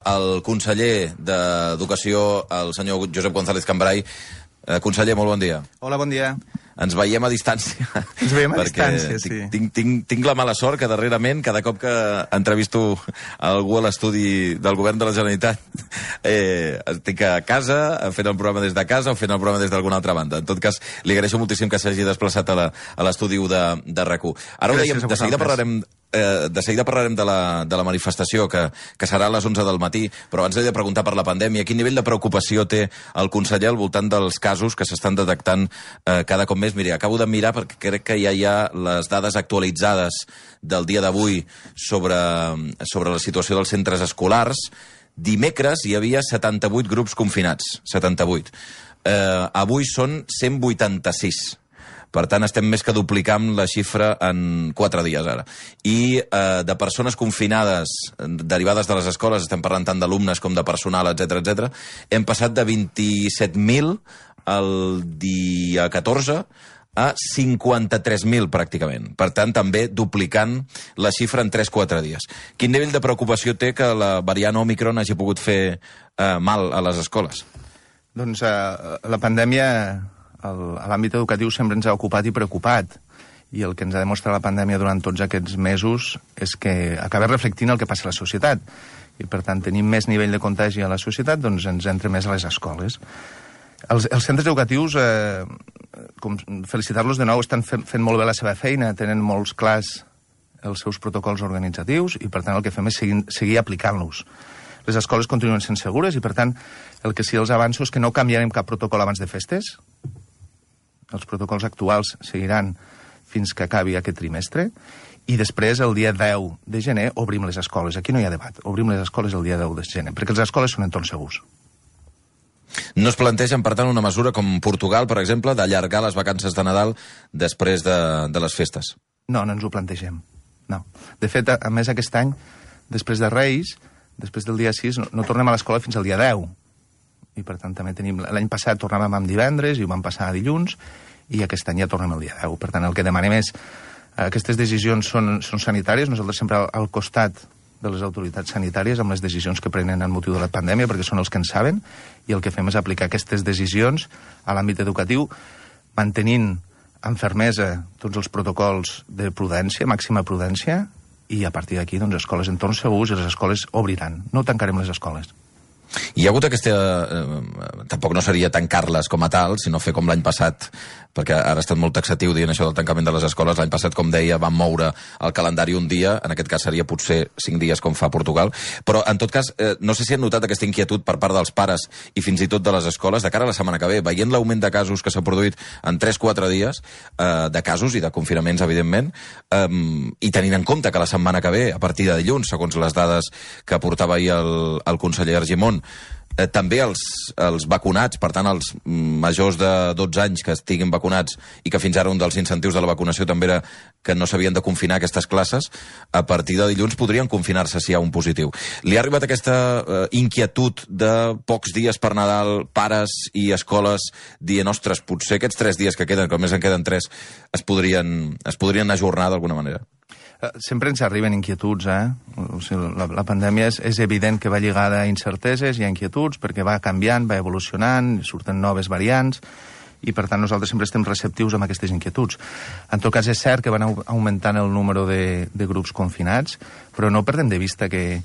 el conseller d'Educació, el senyor Josep González Cambray. Conseller, molt bon dia. Hola, bon dia. Ens veiem a distància. Ens veiem a distància, sí. Tinc la mala sort que darrerament, cada cop que entrevisto algú a l'estudi del govern de la Generalitat, estic a casa, fent el programa des de casa o fent el programa des d'alguna altra banda. En tot cas, li agraeixo moltíssim que s'hagi desplaçat a l'estudi de RAC1. Ara ho dèiem, de seguida parlarem de la manifestació, que serà a les 11 del matí, però abans he de preguntar per la pandèmia. Quin nivell de preocupació té el conseller al voltant dels casos que s'estan detectant cada cop més? Miri, acabo de mirar perquè crec que ja hi ha les dades actualitzades del dia d'avui sobre la situació dels centres escolars. Dimecres hi havia 78 grups confinats, 78. Avui són 186. Per tant, estem més que duplicant la xifra en 4 dies ara. I de persones confinades derivades de les escoles, estem parlant tant d'alumnes com de personal, etc, hem passat de 27.000 el dia 14 a 53.000 pràcticament. Per tant, també duplicant la xifra en 3-4 dies. Quin nivell de preocupació té que la variant Òmicron hagi pogut fer mal a les escoles? Doncs la pandèmia a l'àmbit educatiu sempre ens ha ocupat i preocupat. I el que ens ha demostrat la pandèmia durant tots aquests mesos és que acaba reflectint el que passa a la societat. I, per tant, tenim més nivell de contagi a la societat, doncs ens entra més a les escoles. Els centres educatius, felicitar-los de nou, estan fent molt bé la seva feina, tenen molts clars els seus protocols organitzatius i, per tant, el que fem és seguir aplicant-los. Les escoles continuen sent segures i, per tant, el que sí els avanço és que no canviarem cap protocol abans de festes. Els protocols actuals seguiran fins que acabi aquest trimestre i després, el dia 10 de gener, obrim les escoles. Aquí no hi ha debat. Obrim les escoles el dia 10 de gener, perquè les escoles són entorns segurs. No es plantegen, per tant, una mesura com Portugal, per exemple, d'allargar les vacances de Nadal després de les festes? No, no ens ho plantegem. No. De fet, a més, aquest any, després de Reis, després del dia 6, no tornem a l'escola fins al dia 10. I, per tant, també tenim... L'any passat tornàvem amb divendres i ho vam passar a dilluns, i aquest any ja tornem al dia 10. Per tant, el que demanem és... Aquestes decisions són sanitàries, nosaltres sempre al costat de les autoritats sanitàries amb les decisions que prenen en motiu de la pandèmia, perquè són els que en saben, i el que fem és aplicar aquestes decisions a l'àmbit educatiu, mantenint amb fermesa tots els protocols de prudència, màxima prudència, i a partir d'aquí, doncs, escoles en entorns segurs i les escoles obriran. No tancarem les escoles. Hi ha hagut aquesta... Tampoc no seria tancar-les com a tal, sinó fer com l'any passat, perquè ara ha estat molt taxatiu dient això del tancament de les escoles. L'any passat, com deia, van moure el calendari un dia, en aquest cas seria potser 5 dies com fa Portugal, però en tot cas, no sé si han notat aquesta inquietud per part dels pares i fins i tot de les escoles de cara a la setmana que ve, veient l'augment de casos que s'ha produït en 3-4 dies, de casos i de confinaments, evidentment, i tenint en compte que la setmana que ve, a partir de dilluns, segons les dades que aportava ahir el conseller Argimon, també els vacunats, per tant els majors de 12 anys que estiguin vacunats i que fins ara un dels incentius de la vacunació també era que no s'havien de confinar aquestes classes, a partir de dilluns podrien confinar-se si hi ha un positiu. Li ha arribat aquesta inquietud de pocs dies per Nadal, pares i escoles dient, ostres, potser aquests 3 dies que queden, que només en queden 3, es podrien ajornar d'alguna manera? Sempre ens arriben inquietuds, O sigui, la pandèmia és evident que va lligada a incerteses i a inquietuds, perquè va canviant, va evolucionant, surten noves variants, i per tant nosaltres sempre estem receptius amb aquestes inquietuds. En tot cas, és cert que van augmentant el número de grups confinats, però no perdem de vista que...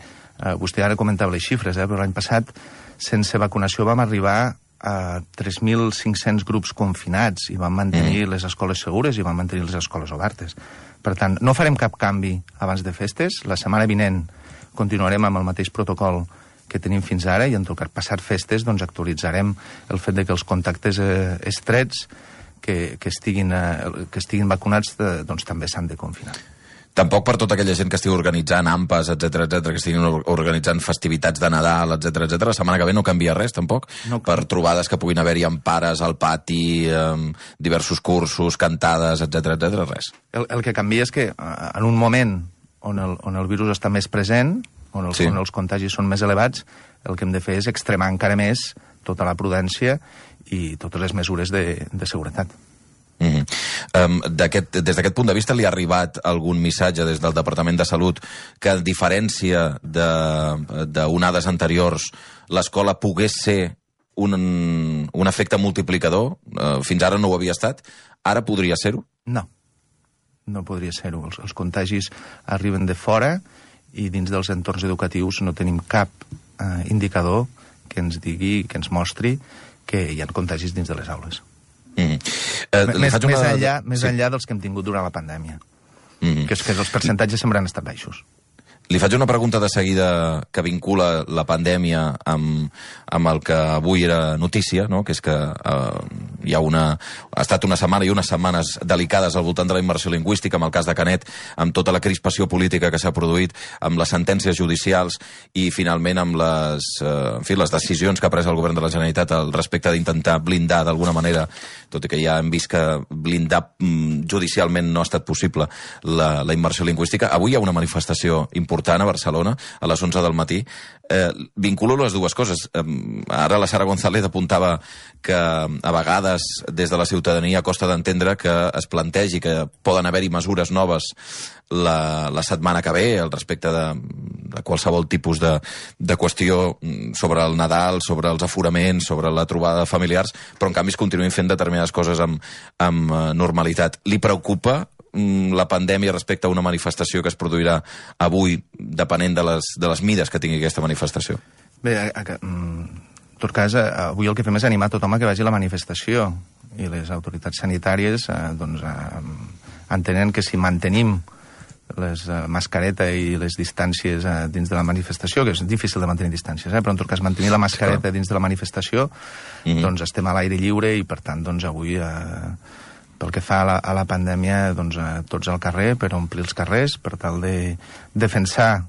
Vostè ara comentava les xifres, però l'any passat, sense vacunació, vam arribar a 3.500 grups confinats i vam mantenir les escoles segures i vam mantenir les escoles obertes. Per tant, no farem cap canvi abans de festes. La setmana vinent continuarem amb el mateix protocol que tenim fins ara i en tot cas, passat festes, doncs actualitzarem el fet de que els contactes estrets que estiguin vacunats doncs també s'han de confinar. Tampoc per tota aquella gent que estigui organitzant AMPAs, etc, que estiguin organitzant festivitats de Nadal, etc. La setmana que ve no canvia res, tampoc? No. Per trobades que puguin haver-hi amb pares al pati, diversos cursos, cantades, etc, res. El que canvia és que en un moment on el virus està més present, on els contagis són més elevats, el que hem de fer és extremar encara més tota la prudència i totes les mesures de seguretat. Des d'aquest punt de vista, li ha arribat algun missatge des del Departament de Salut que, a diferència d'onades anteriors, l'escola pogués ser un efecte multiplicador? Fins ara no ho havia estat. Ara podria ser-ho? No podria ser-ho. Els contagis arriben de fora i dins dels entorns educatius no tenim cap indicador que ens digui, que ens mostri que hi ha contagis dins de les aules. Més enllà dels que hem tingut durant la pandèmia, que els percentatges sempre han estat baixos. Li faig una pregunta de seguida que vincula la pandèmia amb el que avui era notícia, no? Que és que ha estat una setmana i unes setmanes delicades al voltant de la immersió lingüística, amb el cas de Canet, amb tota la crispació política que s'ha produït, amb les sentències judicials i, finalment, amb les decisions que ha pres el govern de la Generalitat al respecte d'intentar blindar d'alguna manera, tot i que ja hem vist que blindar judicialment no ha estat possible la immersió lingüística. Avui hi ha una manifestació important a Barcelona, a les 11 del matí. Vinculo les dues coses. Ara la Sara González apuntava que a vegades des de la ciutadania costa d'entendre que es plantegi que poden haver-hi mesures noves la setmana que ve al respecte de qualsevol tipus de qüestió sobre el Nadal, sobre els aforaments, sobre la trobada de familiars, però en canvi es continuïn fent determinades coses amb normalitat. Li preocupa la pandèmia respecte a una manifestació que es produirà avui, depenent de les mides que tingui aquesta manifestació? Bé, en tot cas, avui el que fem és animar tothom a que vagi a la manifestació, i les autoritats sanitàries entenen que si mantenim les mascareta i les distàncies dins de la manifestació, que és difícil de mantenir distàncies, però en tot cas mantenir la mascareta dins de la manifestació, doncs estem a l'aire lliure i per tant doncs avui pel que fa a la pandèmia, doncs tots al carrer per omplir els carrers, per tal de defensar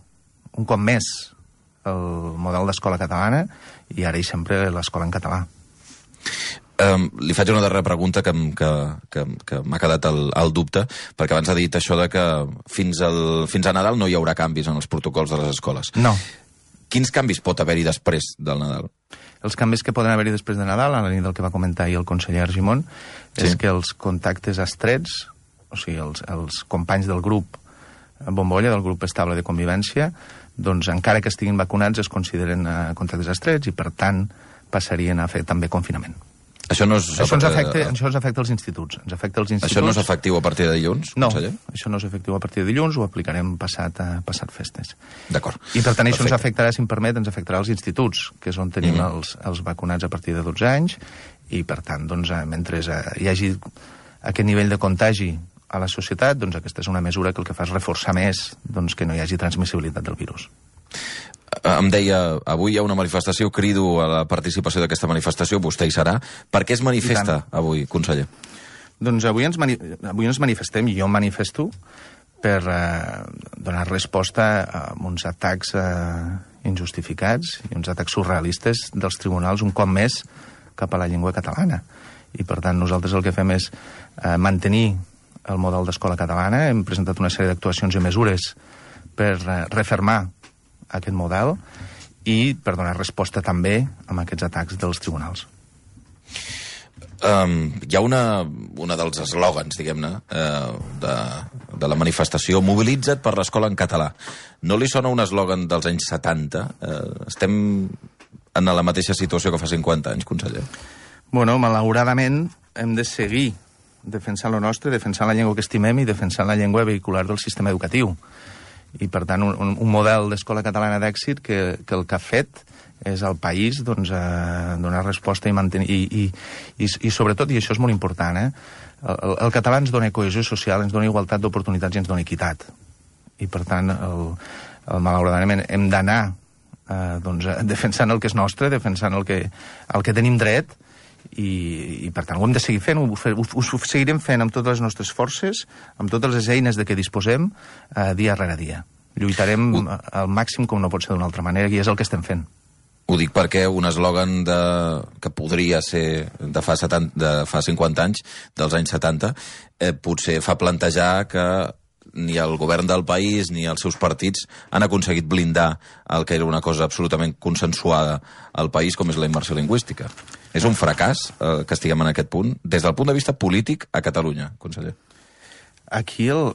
un cop més el model d'escola catalana i ara i sempre l'escola en català. Li faig una darrera pregunta que m'ha quedat el dubte, perquè abans ha dit això de que fins a Nadal no hi haurà canvis en els protocols de les escoles. No. Quins canvis pot haver-hi després del Nadal? Els canvis que poden haver-hi després de Nadal, a la nit del que va comentar ahir el conseller Argimon, és que els contactes estrets, o sigui, els companys del grup bombolla, del grup estable de convivència, doncs encara que estiguin vacunats es consideren contactes estrets i, per tant, passarien a fer també confinament. Això ens afecta els instituts. Això no és efectiu a partir de dilluns, conseller? No, això no és efectiu a partir de dilluns, ho aplicarem passat festes. D'acord. I per tant això ens afectarà, si em permet, ens afectarà els instituts, que és on tenim els vacunats a partir de 12 anys, i per tant, doncs, mentre hi hagi aquest nivell de contagi a la societat, doncs aquesta és una mesura que el que fa és reforçar més doncs, que no hi hagi transmissibilitat del virus. Em deia, avui hi ha una manifestació, crido a la participació d'aquesta manifestació, vostè hi serà. Per què es manifesta avui, conseller? Doncs avui ens manifestem, i jo em manifesto, per donar resposta a uns atacs injustificats i uns atacs surrealistes dels tribunals un cop més cap a la llengua catalana. I per tant nosaltres el que fem és mantenir el model d'escola catalana. Hem presentat una sèrie d'actuacions i mesures per refermar aquest model i per donar resposta també a aquests atacs dels tribunals. Hi ha una dels eslògans, diguem-ne, de la manifestació, mobilitza't per l'escola en català. No li sona un eslògan dels anys 70? Estem en la mateixa situació que fa 50 anys, conseller? Bueno, malauradament hem de seguir defensant lo nostre, defensant la llengua que estimem i defensant la llengua vehicular del sistema educatiu. I, per tant, un model d'escola catalana d'èxit que el que ha fet és al país doncs, donar resposta i mantenir... I sobretot, i això és molt important, el català ens dona cohesió social, ens dona igualtat d'oportunitats i ens dona equitat. I, per tant, malauradament hem d'anar defensant el que és nostre, defensant el que tenim dret, i per tant ho hem de seguir fent, ho seguirem fent amb totes les nostres forces, amb totes les eines de què disposem, dia rere dia. Lluitarem al màxim com no pot ser d'una altra manera, i és el que estem fent. Ho dic perquè un eslògan que podria ser de fa 50 anys, dels anys 70, potser fa plantejar que ni el govern del país ni els seus partits han aconseguit blindar el que era una cosa absolutament consensuada al país, com és la immersió lingüística. És un fracàs que estiguem en aquest punt, des del punt de vista polític a Catalunya, conseller? Aquí el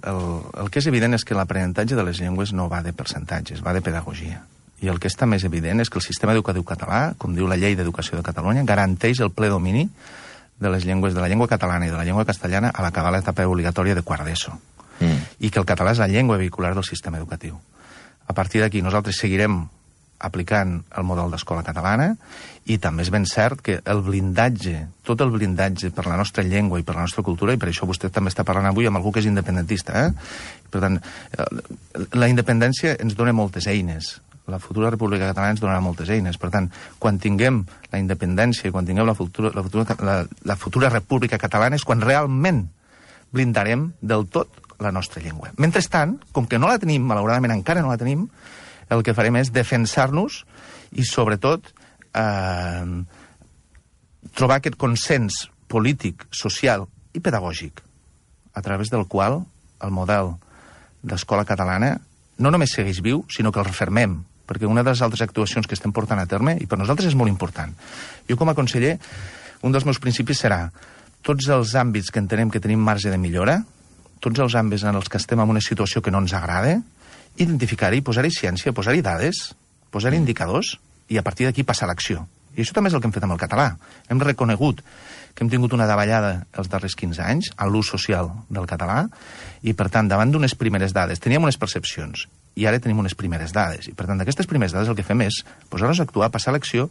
que és evident és que l'aprenentatge de les llengües no va de percentatges, va de pedagogia. I el que està més evident és que el sistema educatiu català, com diu la Llei d'Educació de Catalunya, garanteix el ple domini de les llengües, de la llengua catalana i de la llengua castellana a l'acabar l'etapa obligatòria de quart d'ESO. I que el català és la llengua vehicular del sistema educatiu. A partir d'aquí nosaltres seguirem aplicant el model d'escola catalana i també és ben cert que el blindatge, tot el blindatge per la nostra llengua i per la nostra cultura, i per això vostè també està parlant avui amb algú que és independentista, per tant, la independència ens dona moltes eines. La futura República Catalana ens donarà moltes eines. Per tant, quan tinguem la independència i quan tinguem la futura República Catalana és quan realment blindarem del tot la nostra llengua. Mentrestant, com que no la tenim, malauradament encara no la tenim, el que farem és defensar-nos i, sobretot, trobar aquest consens polític, social i pedagògic a través del qual el model d'escola catalana no només segueix viu, sinó que el refermem, perquè una de les altres actuacions que estem portant a terme, i per nosaltres és molt important. Jo, com a conseller, un dels meus principis serà tots els àmbits que entenem que tenim marge de millora, tots els àmbits en els que estem en una situació que no ens agrada, identificar-hi, posar-hi ciència, posar-hi dades, posar-hi indicadors, i a partir d'aquí passar a l'acció. I això també és el que hem fet amb el català. Hem reconegut que hem tingut una davallada els darrers 15 anys en l'ús social del català, i, per tant, davant d'unes primeres dades, teníem unes percepcions, i ara tenim unes primeres dades. I, per tant, d'aquestes primeres dades el que fem és posar-nos a actuar, passar a l'acció,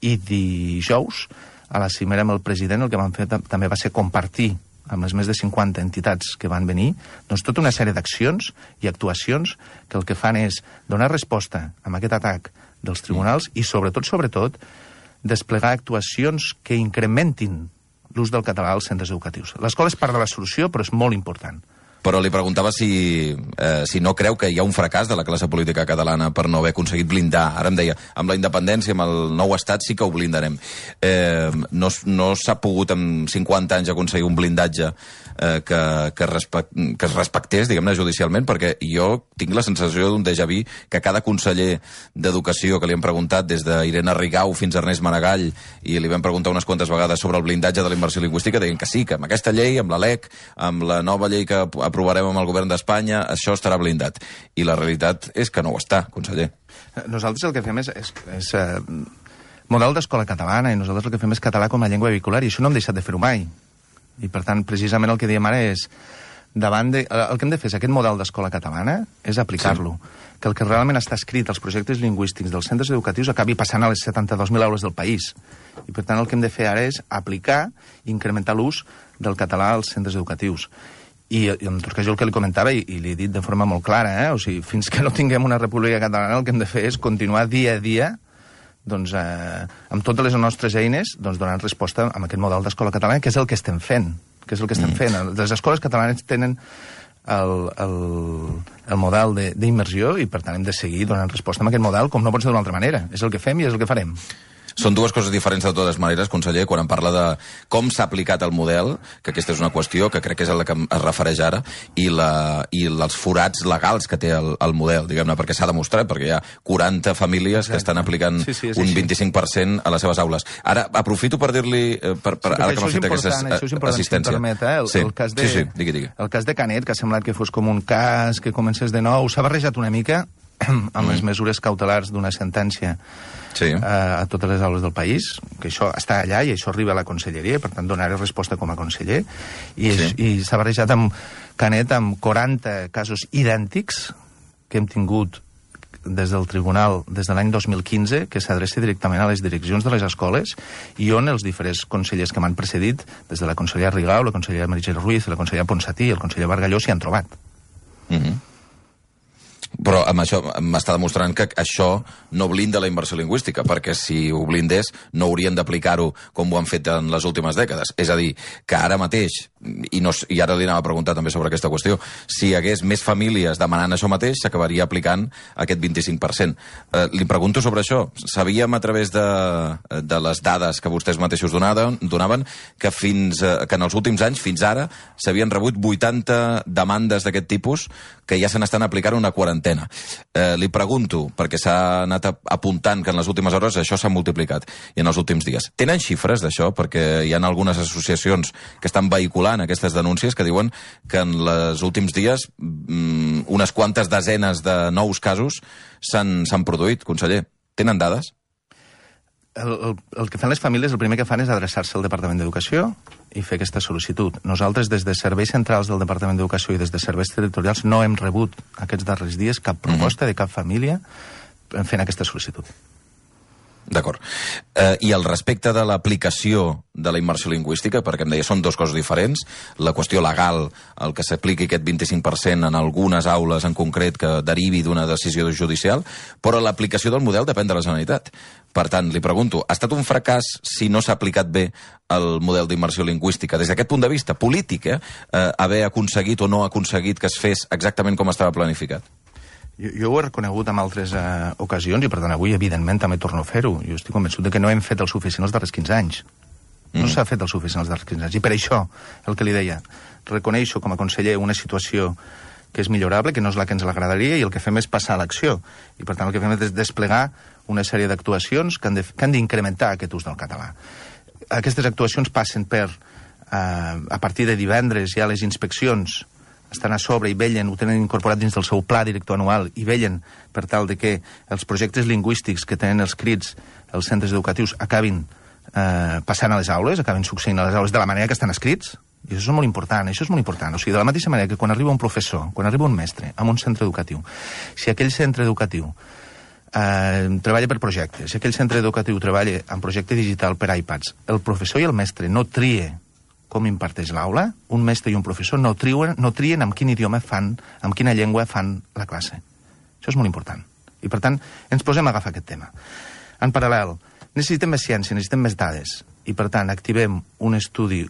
i dijous, a la cimera amb el president, el que vam fer també va ser compartir amb les més de 50 entitats que van venir, doncs tota una sèrie d'accions i actuacions que el que fan és donar resposta a aquest atac dels tribunals i, sobretot, desplegar actuacions que incrementin l'ús del català als centres educatius. L'escola és part de la solució, però és molt important. Però li preguntava si no creu que hi ha un fracàs de la classe política catalana per no haver aconseguit blindar. Ara em deia, amb la independència, amb el nou estat, sí que ho blindarem. No s'ha pogut en 50 anys aconseguir un blindatge que es respectés, diguem-ne, judicialment, perquè jo tinc la sensació d'un déjà vu que cada conseller d'Educació que li hem preguntat, des d'Irene Rigau fins a Ernest Maragall, i li vam preguntar unes quantes vegades sobre el blindatge de la immersió lingüística, deien que sí, que amb aquesta llei, amb la LEC, amb la nova llei que aprovarem amb el govern d'Espanya, això estarà blindat. I la realitat és que no ho està, conseller. Nosaltres el que fem és model d'escola catalana, i nosaltres el que fem és català com a llengua vehicular, i això no hem deixat de fer-ho mai. I, per tant, precisament el que diem ara és el que hem de fer és aquest model d'escola catalana, és aplicar-lo. Sí. Que el que realment està escrit als projectes lingüístics dels centres educatius acabi passant a les 72.000 aules del país. I, per tant, el que hem de fer ara és aplicar i incrementar l'ús del català als centres educatius. I en tot cas jo el que li comentava, i li he dit de forma molt clara, o sigui, fins que no tinguem una república catalana el que hem de fer és continuar dia a dia doncs, amb totes les nostres eines doncs, donant resposta a aquest model d'escola catalana, que és el que estem fent. Les escoles catalanes tenen el model d'immersió i, per tant, hem de seguir donant resposta a aquest model, com no pot ser d'una altra manera. És el que fem i és el que farem. Són dues coses diferents de totes maneres, conseller, quan em parla de com s'ha aplicat el model, que aquesta és una qüestió que crec que és a la que es refereix ara, i els forats legals que té el model, diguem-ne, perquè s'ha demostrat, perquè hi ha 40 famílies que estan aplicant un 25% a les seves aules. Ara, aprofito per dir-li, ara que m'ha fet aquesta assistència. El cas de Canet, que ha semblat que fos com un cas que comencés de nou, s'ha barrejat una mica amb les mesures cautelars d'una sentència a totes les aules del país, que això està allà i això arriba a la conselleria, per tant donaré resposta com a conseller, i s'ha barrejat amb Canet amb 40 casos idèntics que hem tingut des del tribunal des de l'any 2015, que s'adreça directament a les direccions de les escoles i on els diferents consellers que m'han precedit, des de la consellera Rigau, la consellera Meritxell Ruiz, la consellera Ponsatí i el conseller Bargalló s'hi han trobat. Però amb això m'està demostrant que això no blinda la immersió lingüística, perquè si ho blindés no haurien d'aplicar-ho com ho han fet en les últimes dècades. És a dir, que ara mateix, i ara li anava a preguntar també sobre aquesta qüestió, si hi hagués més famílies demanant això mateix, s'acabaria aplicant aquest 25%. Li pregunto sobre això. Sabíem a través de les dades que vostès mateixos donaven que en els últims anys, fins ara, s'havien rebut 80 demandes d'aquest tipus que ja se n'estan aplicant una quarantena. Li pregunto, perquè s'ha anat apuntant que en les últimes hores això s'ha multiplicat, i en els últims dies. Tenen xifres d'això? Perquè hi ha algunes associacions que estan vehiculant aquestes denúncies que diuen que en els últims dies unes quantes desenes de nous casos s'han produït, conseller. Tenen dades? El que fan les famílies, el primer que fan és adreçar-se al Departament d'Educació i fer aquesta sol·licitud. Nosaltres, des de serveis centrals del Departament d'Educació i des de serveis territorials, no hem rebut aquests darrers dies cap proposta de cap família fent aquesta sol·licitud. D'acord. I al respecte de l'aplicació de la immersió lingüística, perquè em deia, són dues coses diferents, la qüestió legal, el que s'apliqui aquest 25% en algunes aules en concret que derivi d'una decisió judicial, però l'aplicació del model depèn de la Generalitat. Per tant, li pregunto, ha estat un fracàs si no s'ha aplicat bé el model d'immersió lingüística? Des d'aquest punt de vista polític, haver aconseguit o no aconseguit que es fes exactament com estava planificat? Jo ho he reconegut en altres ocasions i, per tant, avui, evidentment, també torno a fer-ho. Jo estic convençut que no hem fet el suficient els darrers 15 anys. No s'ha fet el suficient els darrers 15 anys. I per això, el que li deia, reconeixo com a conseller una situació que és millorable, que no és la que ens agradaria, i el que fem és passar a l'acció. I, per tant, el que fem és desplegar una sèrie d'actuacions que han d'incrementar aquest ús del català. Aquestes actuacions passen per, a partir de divendres, ja les inspeccions estan a sobre i vellen, ho tenen incorporat dins del seu pla director anual i vellen per tal de que els projectes lingüístics que tenen els crits els centres educatius acabin passant a les aules, acabin succeint a les aules de la manera que estan escrits. I això és molt important, això és molt important. O sigui, de la mateixa manera que quan arriba un professor, quan arriba un mestre a un centre educatiu, si aquell centre educatiu treballa per projectes, si aquell centre educatiu treballa en projecte digital per iPads, el professor i el mestre no trie com imparteix l'aula, un mestre i un professor no trien amb quin idioma fan, amb quina llengua fan la classe. Això és molt important. I, per tant, ens posem a agafar aquest tema. En paral·lel, necessitem més ciència, necessitem més dades, i, per tant, activem un estudi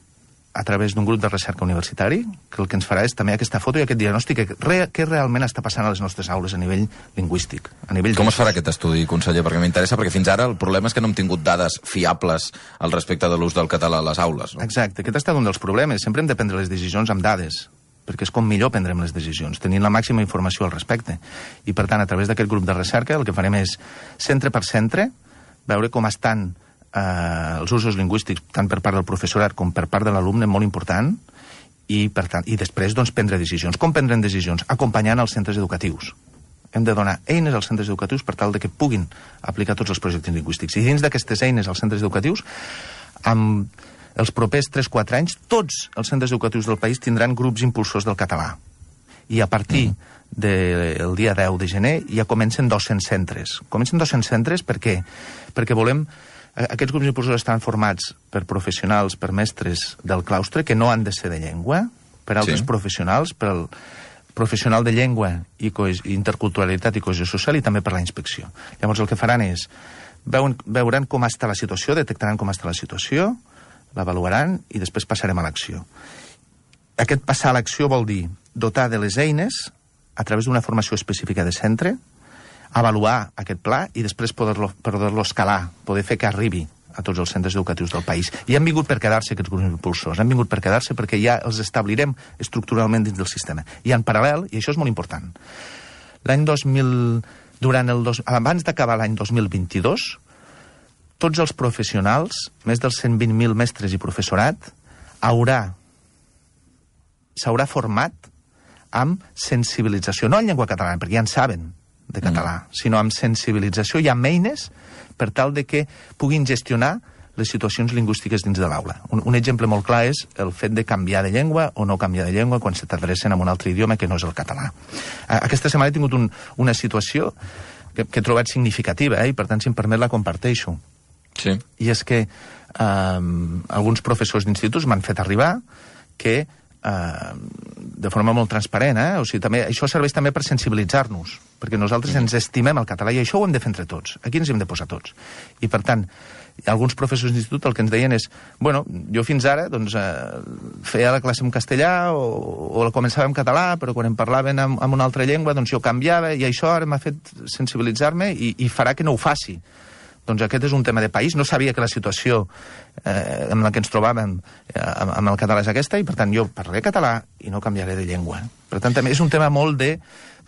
a través d'un grup de recerca universitari, que el que ens farà és també aquesta foto i aquest diagnòstic què realment està passant a les nostres aules a nivell lingüístic. Com es farà aquest estudi, conseller? Perquè m'interessa, perquè fins ara el problema és que no hem tingut dades fiables al respecte de l'ús del català a les aules. No? Exacte, aquest ha estat un dels problemes. Sempre hem de prendre les decisions amb dades, perquè és com millor prendrem les decisions, tenint la màxima informació al respecte. I, per tant, a través d'aquest grup de recerca, el que farem és, centre per centre, veure com estan els usos lingüístics, tant per part del professorat com per part de l'alumne, molt important, i, per tant, i després doncs, prendre decisions. Com prendrem decisions? Acompanyant els centres educatius. Hem de donar eines als centres educatius per tal de que puguin aplicar tots els projectes lingüístics. I dins d'aquestes eines als centres educatius, amb els propers 3-4 anys, tots els centres educatius del país tindran grups impulsors del català. I a partir del dia 10 de gener ja comencen 200 centres. Comencen 200 centres per què? Perquè volem... Aquests grups impulsors estan formats per professionals, per mestres del claustre, que no han de ser de llengua, per altres professionals, per el professional de llengua i interculturalitat i cohesió social, i també per la inspecció. Llavors el que faran és, veuran com està la situació, detectaran com està la situació, l'avaluaran i després passarem a l'acció. Aquest passar a l'acció vol dir dotar de les eines a través d'una formació específica de centre, avaluar aquest pla i després poder-lo escalar, poder fer que arribi a tots els centres educatius del país. I han vingut per quedar-se aquests grups impulsors, han vingut per quedar-se perquè ja els establirem estructuralment dins del sistema. I en paral·lel, i això és molt important, abans d'acabar l'any 2022, tots els professionals, més dels 120.000 mestres i professorat, s'haurà format amb sensibilització, no en llengua catalana, perquè ja en saben de català, sinó amb sensibilització i amb eines per tal de que puguin gestionar les situacions lingüístiques dins de l'aula. Un exemple molt clar és el fet de canviar de llengua o no canviar de llengua quan se t'adrecen a un altre idioma que no és el català. Aquesta setmana he tingut una situació que he trobat significativa, i per tant, si em permet, la comparteixo. Sí. I és que alguns professors d'instituts m'han fet arribar que de forma molt transparent, o sigui, també, això serveix també per sensibilitzar-nos, perquè nosaltres ens estimem el català i això ho hem de fer entre tots, aquí ens hem de posar tots. I per tant, alguns professors d'institut el que ens deien és, bueno, jo fins ara doncs, feia la classe en castellà o la començava en català, però quan em parlaven en una altra llengua doncs jo canviava, i això ara m'ha fet sensibilitzar-me i farà que no ho faci. Doncs aquest és un tema de país. No sabia que la situació en la que ens trobàvem amb el català és aquesta, i per tant jo parlaré català i no canviaré de llengua. Per tant, també és un tema molt de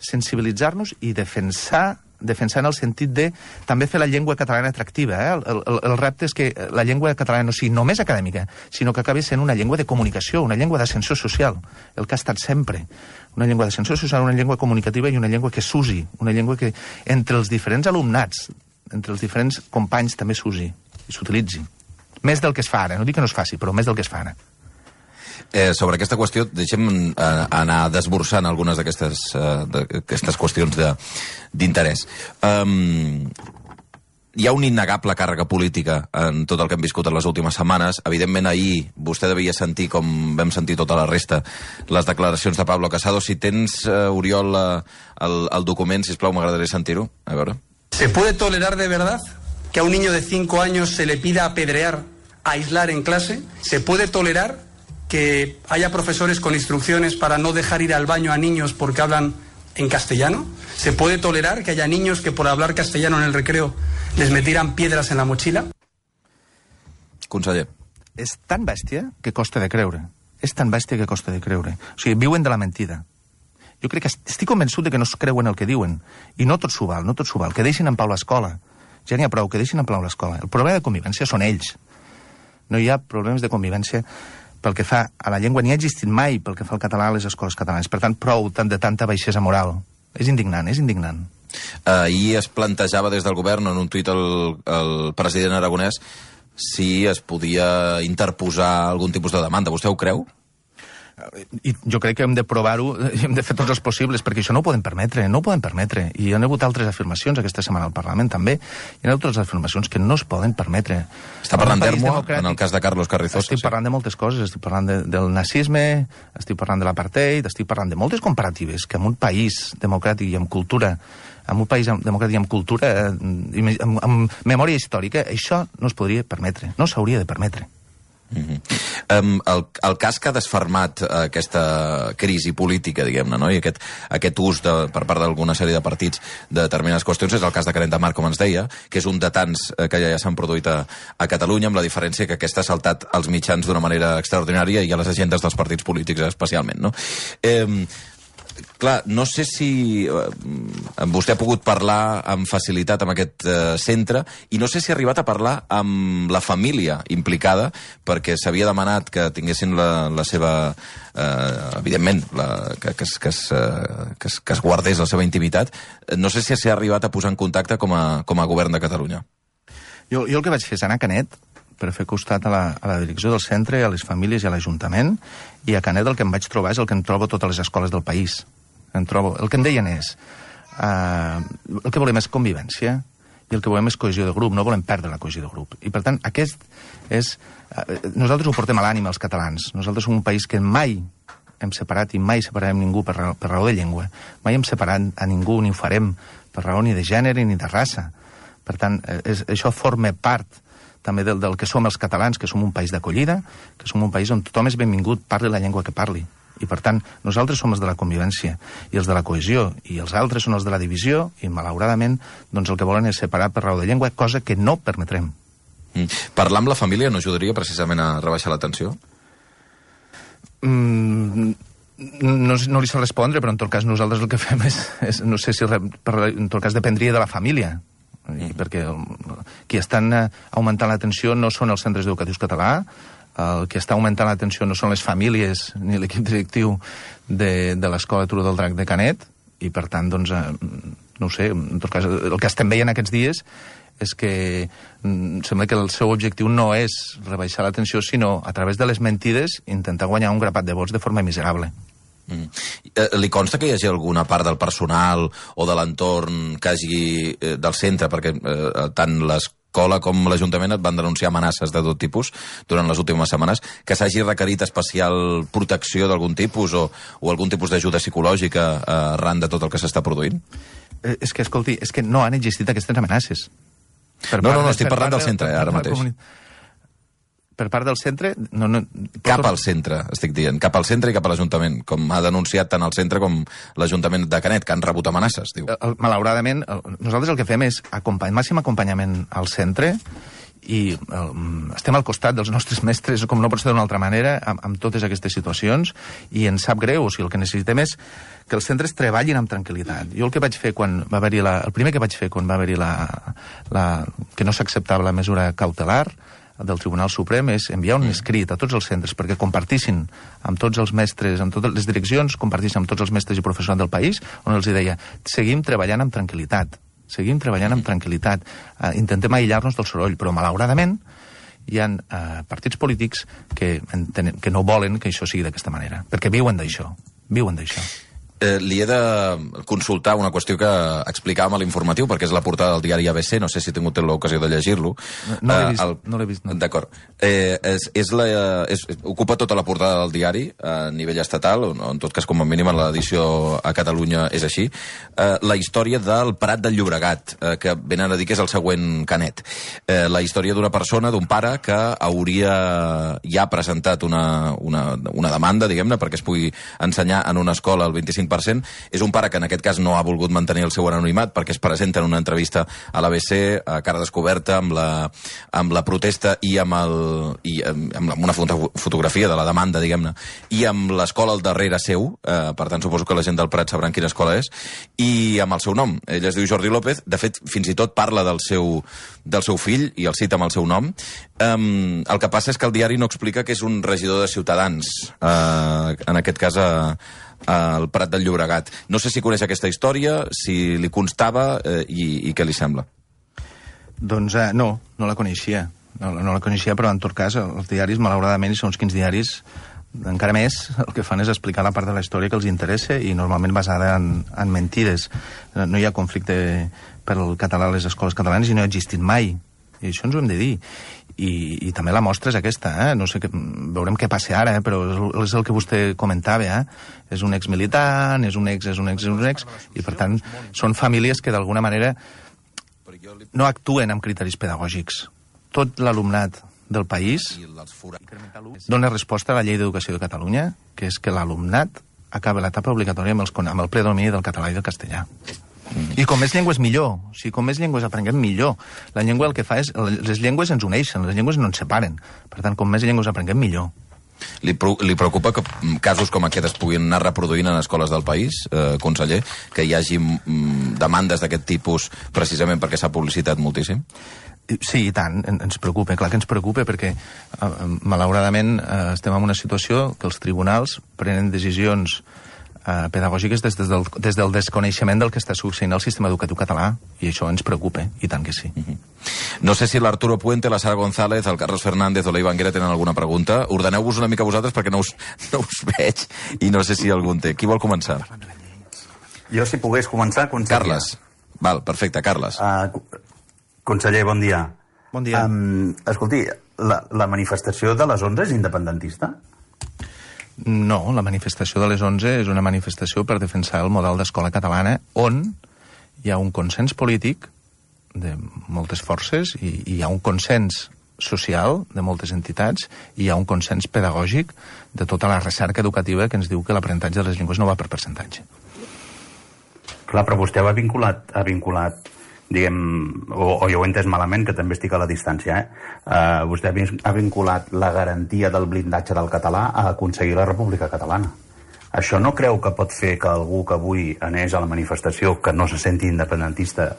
sensibilitzar-nos i defensar en el sentit de també fer la llengua catalana atractiva. El repte és que la llengua catalana no sigui només acadèmica, sinó que acabi sent una llengua de comunicació, una llengua d'ascensió social, el que ha estat sempre. Una llengua d'ascensió social, una llengua comunicativa i una llengua que s'usi, una llengua que entre els diferents alumnats, entre els diferents companys també s'usi i s'utilitzi. Més del que es fa ara, no dic que no es faci, però més del que es fa ara. Sobre aquesta qüestió, deixem anar desbrossant algunes d'aquestes qüestions d'interès. Hi ha una innegable càrrega política en tot el que hem viscut en les últimes setmanes. Evidentment, ahir vostè devia sentir, com vam sentir tota la resta, les declaracions de Pablo Casado. Si tens, Oriol, el document, sisplau, m'agradaria sentir-ho. A veure. ¿Se puede tolerar de verdad que a un niño de 5 años se le pida apedrear, aislar en clase? ¿Se puede tolerar que haya profesores con instrucciones para no dejar ir al baño a niños porque hablan en castellano? ¿Se puede tolerar que haya niños que por hablar castellano en el recreo les metieran piedras en la mochila? Conseller. És tan bèstia que costa de creure. És tan bèstia que costa de creure. O sigui, viuen de la mentida. Jo crec que estic convençut de que no es creuen el que diuen. I no tot s'ho val, no tot s'ho val. Que deixin en pau l'escola. Ja n'hi ha prou, que deixin en pau l'escola. El problema de convivència són ells. No hi ha problemes de convivència pel que fa a la llengua, ni ha existit mai pel que fa al català a les escoles catalanes. Per tant, prou de tanta baixesa moral. És indignant, és indignant. Ahir es plantejava des del govern, en un tuit el president aragonès, si es podia interposar algun tipus de demanda. Vostè ho creu? I jo crec que hem de provar-ho, hem de fer tots els possibles, perquè això no ho podem permetre, no ho podem permetre. I hi ha hagut altres afirmacions aquesta setmana al Parlament, també. Hi ha altres afirmacions que no es poden permetre. Està parlant d'Ermo, en el cas de Carlos Carrizosa. Estic parlant de moltes coses, estic parlant del nazisme, estic parlant de l'apartheid, estic parlant de moltes comparatives que en un país democràtic i amb cultura, en un país democràtic i amb cultura, amb memòria històrica, això no es podria permetre, no s'hauria de permetre. El cas que ha desfermat aquesta crisi política, diguem-ne, no? I aquest ús per part d'alguna sèrie de partits de determinades qüestions és el cas de Canet de Mar, com ens deia, que és un de tants que ja s'han produït a Catalunya, amb la diferència que aquesta ha saltat als mitjans d'una manera extraordinària i a les agendes dels partits polítics especialment, no? Clar, no sé si vostè ha pogut parlar amb facilitat amb aquest centre i no sé si ha arribat a parlar amb la família implicada, perquè s'havia demanat que tinguessin la seva... evidentment, que es guardés la seva intimitat. No sé si s'ha arribat a posar en contacte com a govern de Catalunya. Jo el que vaig fer és anar a Canet per fer costat a la direcció del centre, a les famílies i a l'Ajuntament, i a Canet el que em vaig trobar és el que em trobo a totes les escoles del país. El que em deien és el que volem és convivència i el que volem és cohesió de grup, no volem perdre la cohesió de grup. I per tant, aquest és... Nosaltres ho portem a l'ànima, els catalans. Nosaltres som un país que mai hem separat i mai separarem ningú per raó de llengua. Mai hem separat a ningú ni ho farem per raó ni de gènere ni de raça. Per tant, això forma part també del que som els catalans, que som un país d'acollida, que som un país on tothom és benvingut, parli la llengua que parli. I, per tant, nosaltres som els de la convivència i els de la cohesió, i els altres són els de la divisió, i, malauradament, doncs el que volen és separar per raó de llengua, cosa que no permetrem. Parlar amb la família no ajudaria precisament a rebaixar la tensió? No li sé respondre, però en tot cas nosaltres el que fem és no sé si en tot cas dependria de la família, perquè qui estan augmentant la tensió no són els centres educatius català, el que està augmentant la tensió no són les famílies ni l'equip directiu de l'Escola Turó del Drac de Canet, i per tant, doncs, no ho sé, en tot cas, el que estem veient aquests dies és que sembla que el seu objectiu no és rebaixar la tensió, sinó, a través de les mentides, intentar guanyar un grapat de vots de forma miserable. Li consta que hi hagi alguna part del personal o de l'entorn que hagi del centre, perquè tant l'escola com l'Ajuntament et van denunciar amenaces de tot tipus durant les últimes setmanes, que s'hagi requerit especial protecció d'algun tipus o algun tipus d'ajuda psicològica arran de tot el que s'està produint? És que, escolti, és que no han existit aquestes amenaces. No, estic parlant del centre, ara mateix. Per part del centre... Cap al centre, estic dient. Cap al centre i cap a l'Ajuntament, com ha denunciat tant el centre com l'Ajuntament de Canet, que han rebut amenaces, diu. Malauradament, nosaltres el que fem és màxim acompanyament al centre i estem al costat dels nostres mestres, com no pot ser d'una altra manera, amb totes aquestes situacions, i ens sap greu. O sigui, el que necessitem és que els centres treballin amb tranquil·litat. Jo el que vaig fer quan va haver-hi el primer que vaig fer quan va haver-hi que no s'acceptava la mesura cautelar del Tribunal Suprem és enviar un escrit a tots els centres perquè compartissin amb tots els mestres, amb totes les direccions, compartissin amb tots els mestres i professionals del país, on els deia, seguim treballant amb tranquil·litat. Seguim treballant amb tranquil·litat. Intentem aïllar-nos del soroll, però malauradament hi ha partits polítics que no volen que això sigui d'aquesta manera, perquè viuen d'això. Li he de consultar una qüestió que explicàvem a l'informatiu, perquè és la portada del diari ABC, no sé si he tingut l'ocasió de llegir-lo. No l'he vist. No. D'acord. Ocupa tota la portada del diari a nivell estatal, o en tot cas com a mínim en l'edició a Catalunya és així. La història del Prat del Llobregat, que venen a dir que és el següent Canet. La història d'una persona, d'un pare, que hauria ja presentat una demanda, diguem-ne, perquè es pugui ensenyar en una escola al 25%. És un pare que en aquest cas no ha volgut mantenir el seu anonimat perquè es presenta en una entrevista a l'ABC a cara descoberta amb la protesta i amb una fotografia de la demanda, diguem-ne, i amb l'escola al darrere seu, per tant suposo que la gent del Prat sabran quina escola és, i amb el seu nom. Ell es diu Jordi López, de fet fins i tot parla del seu fill i el cita amb el seu nom. El que passa és que el diari no explica que és un regidor de Ciutadans, en aquest cas al Prat del Llobregat. No sé si coneix aquesta història, si li constava i què li sembla. Doncs no la coneixia. No la coneixia, però en tot cas els diaris, malauradament, i segons quins diaris, encara més, el que fan és explicar la part de la història que els interessa i normalment basada en mentides. No hi ha conflicte per al català a les escoles catalanes i no ha existit mai. I això ens ho hem de dir. I també la mostra és aquesta, no sé, veurem què passa ara, però és el que vostè comentava, és un exmilitant, és un ex, i per tant són famílies que d'alguna manera no actuen amb criteris pedagògics. Tot l'alumnat del país dona resposta a la Llei d'Educació de Catalunya, que és que l'alumnat acaba l'etapa obligatòria amb el predomini del català i del castellà. I com més llengües millor. O sigui, com més llengües aprenguem millor. La llengua el que fa és... Les llengües ens uneixen, les llengües no ens separen. Per tant, com més llengües aprenguem millor. Li preocupa que casos com aquest es puguin anar reproduint en escoles del país, conseller? Que hi hagi demandes d'aquest tipus precisament perquè s'ha publicitat moltíssim? Sí, i tant, ens preocupa, clar que ens preocupa, perquè malauradament estem en una situació que els tribunals prenen decisions pedagògiques des del desconeixement del que està succeint al sistema educatiu català, i això ens preocupa, i tant que sí. No sé si l'Arturo Puente, la Sara González, el Carlos Fernández o la Ivanguera tenen alguna pregunta. Ordeneu-vos una mica vosaltres perquè no us veig i no sé si algun té. Qui vol començar? Jo, si pogués començar, conseller. Carles. Val, perfecte, Carles. Conseller, bon dia. Bon dia. Escolti, la manifestació de les 11 és independentista? No, la manifestació de les 11 és una manifestació per defensar el model d'escola catalana on hi ha un consens polític de moltes forces i hi ha un consens social de moltes entitats i hi ha un consens pedagògic de tota la recerca educativa que ens diu que l'aprenentatge de les llengües no va per percentatge. Clar, però vostè ha vinculat diguem, o jo ho he entès malament, que també estic a la distància, vostè ha vinculat la garantia del blindatge del català a aconseguir la República Catalana. Això no creu que pot fer que algú que avui anés a la manifestació, que no se senti independentista,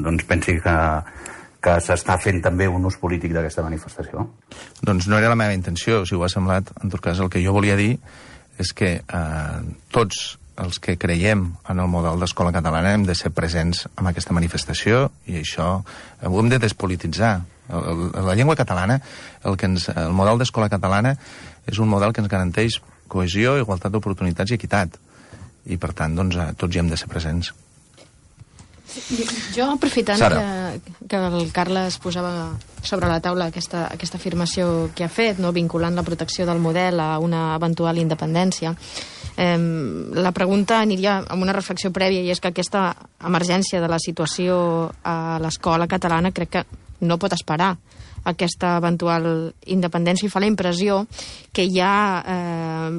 doncs pensi que s'està fent també un ús polític d'aquesta manifestació? Doncs no era la meva intenció, si ho ha semblat. En tot cas, el que jo volia dir és que tots els que creiem en el model d'escola catalana hem de ser presents en aquesta manifestació i això ho hem de despolititzar. La llengua catalana, el model d'escola catalana és un model que ens garanteix cohesió, igualtat d'oportunitats i equitat. I per tant, doncs, tots hi hem de ser presents. Jo, aprofitant que el Carles posava sobre la taula aquesta afirmació que ha fet, no, vinculant la protecció del model a una eventual independència, la pregunta aniria amb una reflexió prèvia, i és que aquesta emergència de la situació a l'escola catalana crec que no pot esperar aquesta eventual independència, i fa la impressió que hi ha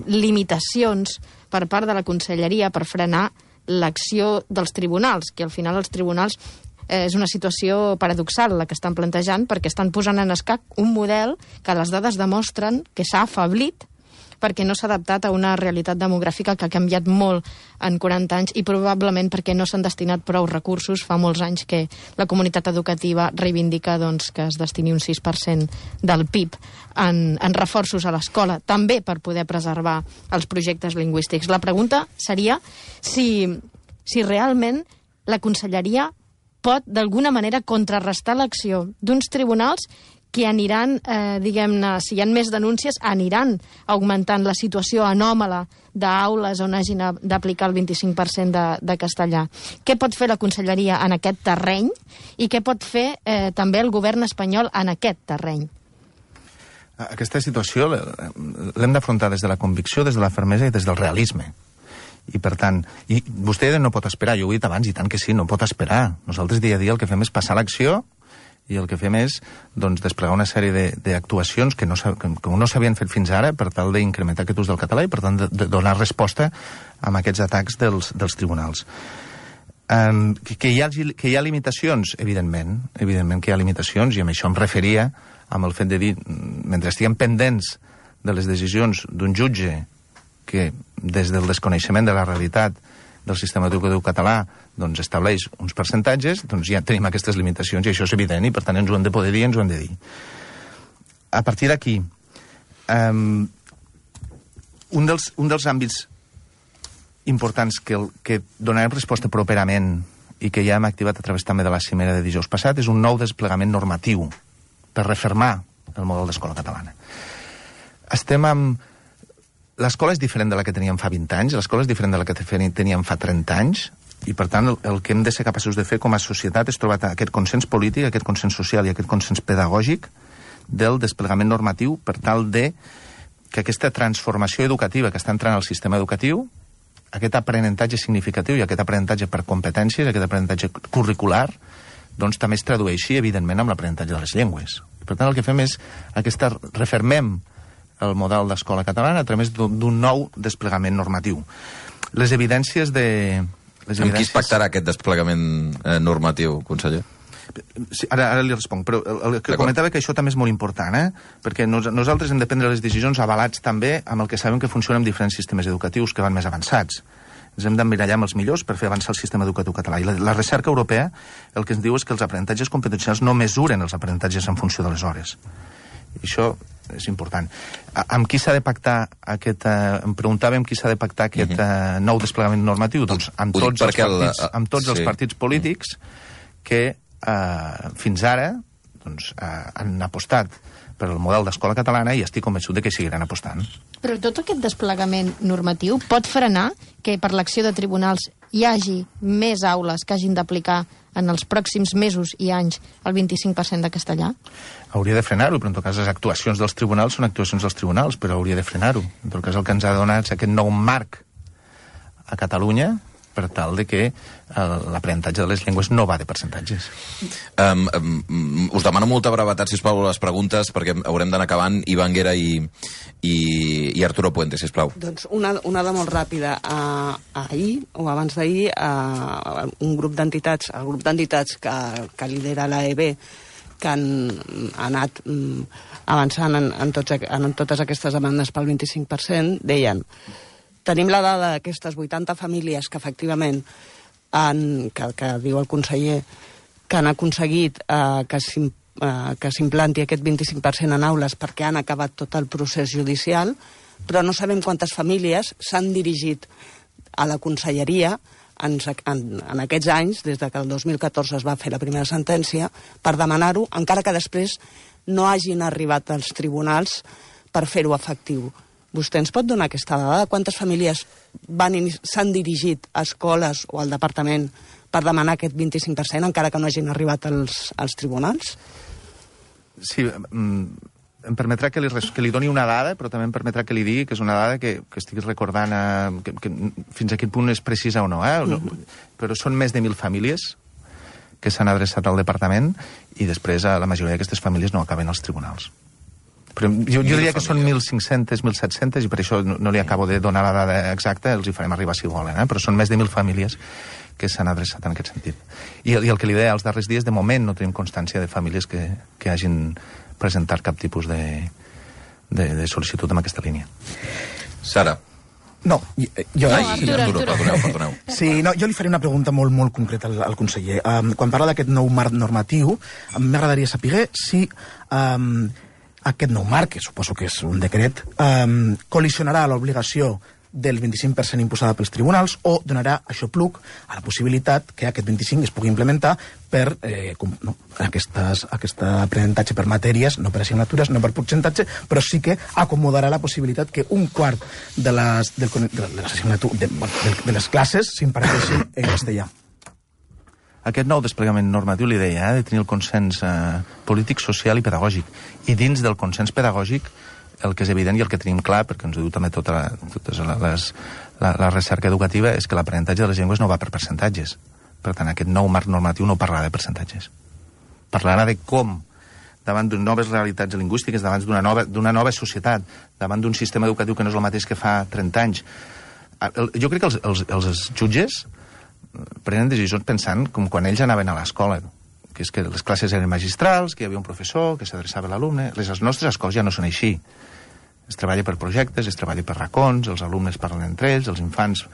limitacions per part de la Conselleria per frenar l'acció dels tribunals, que al final els tribunals és una situació paradoxal la que estan plantejant, perquè estan posant en escac un model que les dades demostren que s'ha afeblit perquè no s'ha adaptat a una realitat demogràfica que ha canviat molt en 40 anys i probablement perquè no s'han destinat prou recursos. Fa molts anys que la comunitat educativa reivindica que es destini un 6% del PIB en reforços a l'escola, també per poder preservar els projectes lingüístics. La pregunta seria si realment la Conselleria pot d'alguna manera contrarrestar l'acció d'uns tribunals que aniran, diguem-ne, si hi ha més denúncies, aniran augmentant la situació anòmala d'aules on hagin d'aplicar el 25% de castellà. Què pot fer la Conselleria en aquest terreny i què pot fer també el govern espanyol en aquest terreny? Aquesta situació l'hem d'afrontar des de la convicció, des de la fermesa i des del realisme. I, per tant, vostè no pot esperar, jo ho he dit abans, i tant que sí, no pot esperar. Nosaltres dia a dia el que fem és passar l'acció i el que fem és desplegar una sèrie d'actuacions que no s'havien fet fins ara per tal d'incrementar aquest ús del català i, per tant, de donar resposta a aquests atacs dels tribunals. Que hi ha limitacions, evidentment que hi ha limitacions, i amb això em referia amb el fet de dir, mentre estiguem pendents de les decisions d'un jutge que, des del desconeixement de la realitat del sistema educatiu català, estableix uns percentatges, ja tenim aquestes limitacions, i això és evident, i per tant ens ho hem de poder dir i ens ho hem de dir. A partir d'aquí, un dels àmbits importants que donarem resposta properament i que ja hem activat a través també de la cimera de dijous passat és un nou desplegament normatiu per refermar el model d'escola catalana. L'escola és diferent de la que teníem fa 20 anys, l'escola és diferent de la que teníem fa 30 anys, i per tant el que hem de ser capaços de fer com a societat és trobar aquest consens polític, aquest consens social i aquest consens pedagògic del desplegament normatiu per tal de que aquesta transformació educativa que està entrant al sistema educatiu, aquest aprenentatge significatiu i aquest aprenentatge per competències, aquest aprenentatge curricular, també es tradueixi, evidentment, amb l'aprenentatge de les llengües. Per tant, el que fem és refermem el model d'escola catalana a través d'un nou desplegament normatiu. Les evidències de... Amb qui es pactarà aquest desplegament normatiu, conseller? Sí, ara li responc, però el que comentava que això també és molt important, perquè nosaltres hem de prendre les decisions avalats també amb el que sabem que funciona en diferents sistemes educatius que van més avançats. Ens hem d'emmirallar amb els millors per fer avançar el sistema educatiu català. I la recerca europea el que ens diu és que els aprenentatges competencials no mesuren els aprenentatges en funció de les hores. I això és important. Amb qui s'ha de pactar em preguntàvem qui s'ha de pactar aquest nou desplegament normatiu? Doncs amb tots els partits polítics que fins ara han apostat per el model d'escola catalana i estic convençut de que seguiran apostant. Però tot aquest desplegament normatiu pot frenar que per l'acció de tribunals hi hagi més aules que hagin d'aplicar en els pròxims mesos i anys el 25% de castellà? Hauria de frenar-ho, però en tot cas les actuacions dels tribunals són actuacions dels tribunals, però hauria de frenar-ho. En tot cas el que ens ha donat aquest nou marc a Catalunya per tal de que l'aprenentatge de les llengües no va de percentatges. Us demano molta brevetat, sisplau, les preguntes, perquè haurem d'anar acabant. Ivan Guerra i Arturo Puente, sisplau. Doncs una de molt ràpida. Ahir, o abans d'ahir, un grup d'entitats, el grup d'entitats que lidera l'AEB, que han anat avançant en totes aquestes demandes pel 25%, deien: tenim la dada d'aquestes 80 famílies que efectivament que diu el conseller que han aconseguit que s'implanti aquest 25% en aules perquè han acabat tot el procés judicial, però no sabem quantes famílies s'han dirigit a la conselleria en aquests anys, des que el 2014 es va fer la primera sentència, per demanar-ho, encara que després no hagin arribat als tribunals per fer-ho efectiu. Vostè ens pot donar aquesta dada? Quantes famílies s'han dirigit a escoles o al departament per demanar aquest 25%, encara que no hagin arribat als tribunals? Sí, em permetrà que li doni una dada, però també em permetrà que li digui que és una dada que estic recordant que fins a quin punt és precisa o no. Però són més de 1.000 famílies que s'han adreçat al departament i després la majoria d'aquestes famílies no acaben als tribunals. Però jo diria que són 1.500, 1.700 i per això no li acabo de donar la dada exacta, els hi farem arribar si volen, però són més de 1.000 famílies que s'han adreçat en aquest sentit. I el que li deia, els darrers dies, de moment no tenim constància de famílies que hagin presentat cap tipus de sol·licitud en aquesta línia. Sara. No, jo... Perdoneu. Sí, no, jo li faré una pregunta molt, molt concreta al conseller. Quan parla d'aquest nou marc normatiu, m'agradaria saber si aquest nou marc, que suposo que és un decret, col·lisionarà l'obligació del 25% imposada pels tribunals o donarà aixopluc a la possibilitat que aquest 25% es pugui implementar per aquest aprenentatge per matèries, no per assignatures, no per percentatge, però sí que acomodarà la possibilitat que un quart de les classes s'imparteixin en castellà. Aquest nou desplegament normatiu, li deia, de tenir el consens polític, social i pedagògic. I dins del consens pedagògic, el que és evident i el que tenim clar, perquè ens ho diu també tota la recerca educativa, és que l'aprenentatge de les llengües no va per percentatges. Per tant, aquest nou marc normatiu no parlarà de percentatges. Parlarà de com, davant de noves realitats lingüístiques, davant d'una nova societat, davant d'un sistema educatiu que no és el mateix que fa 30 anys. Jo crec que els jutges prenen decisions pensant com quan ells anaven a l'escola, que és que les classes eren magistrals, que hi havia un professor, que s'adreçava a l'alumne. Les nostres escoles ja no són així. Es treballa per projectes, es treballa per racons, els alumnes parlen entre ells, els infants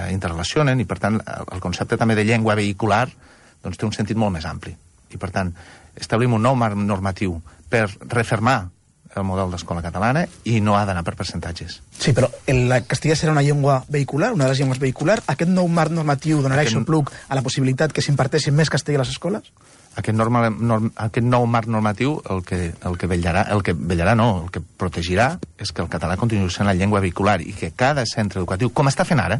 interrelacionen, i per tant el concepte també de llengua vehicular doncs, té un sentit molt més ampli. I per tant establim un nou marc normatiu per refermar el model d'escola catalana i no ha d'anar per percentatges. Sí, però el castellà serà una llengua vehicular, una de les llengües vehicular. Aquest nou marc normatiu donarà aixopluc a la possibilitat que s'imparteixi més castellà a les escoles? Aquest nou marc normatiu el que protegirà és que el català continuï sent la llengua vehicular i que cada centre educatiu, com està fent ara,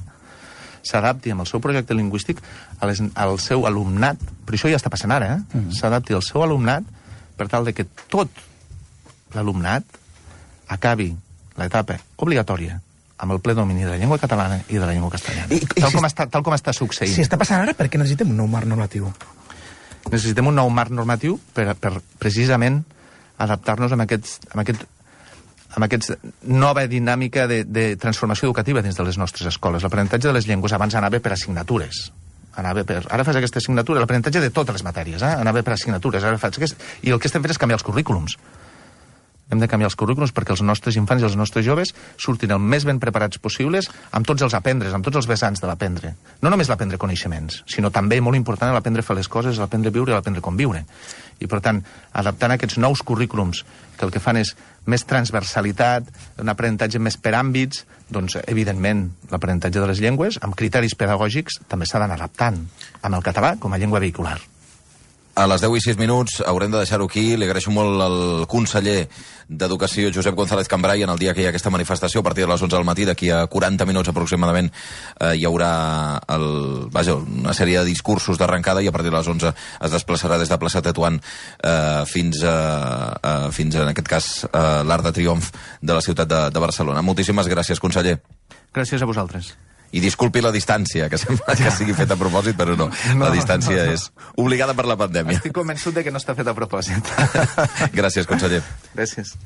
s'adapti amb el seu projecte lingüístic al seu alumnat, però això ja està passant ara, s'adapti al seu alumnat per tal de que tot l'alumnat acabi l'etapa obligatòria amb el ple domini de la llengua catalana i de la llengua castellana. Tal com està succeint. Si està passant ara, per què necessitem un nou marc normatiu? Necessitem un nou marc normatiu per precisament adaptar-nos a aquesta nova dinàmica de transformació educativa dins de les nostres escoles. L'aprenentatge de les llengües abans anava per assignatures. Ara fas aquesta assignatura, l'aprenentatge de totes les matèries, anava per assignatures. I el que estem fent és canviar els currículums. Hem de canviar els currículums perquè els nostres infants i els nostres joves surtin el més ben preparats possibles amb tots els aprendres, amb tots els vessants de l'aprendre. No només l'aprendre coneixements, sinó també, molt important, l'aprendre a fer les coses, l'aprendre a viure i l'aprendre a conviure. I, per tant, adaptant aquests nous currículums que el que fan és més transversalitat, un aprenentatge més per àmbits, doncs, evidentment, l'aprenentatge de les llengües, amb criteris pedagògics, també s'ha d'anar adaptant amb el català com a llengua vehicular. A les 10 i 6 minuts haurem de deixar-ho aquí. Li agraeixo molt al conseller d'Educació, Josep González Cambray, en el dia que hi ha aquesta manifestació, a partir de les 11 del matí, d'aquí a 40 minuts aproximadament, hi haurà una sèrie de discursos d'arrencada i a partir de les 11 es desplaçarà des de plaça Tetuan fins en aquest cas, l'Arc de Triomf de la ciutat de Barcelona. Moltíssimes gràcies, conseller. Gràcies a vosaltres. I disculpi la distància, que sembla que sigui feta a propòsit, però no. La distància és obligada per la pandèmia. Estic convençut de que no està feta a propòsit. Gràcies, conseller. Gràcies.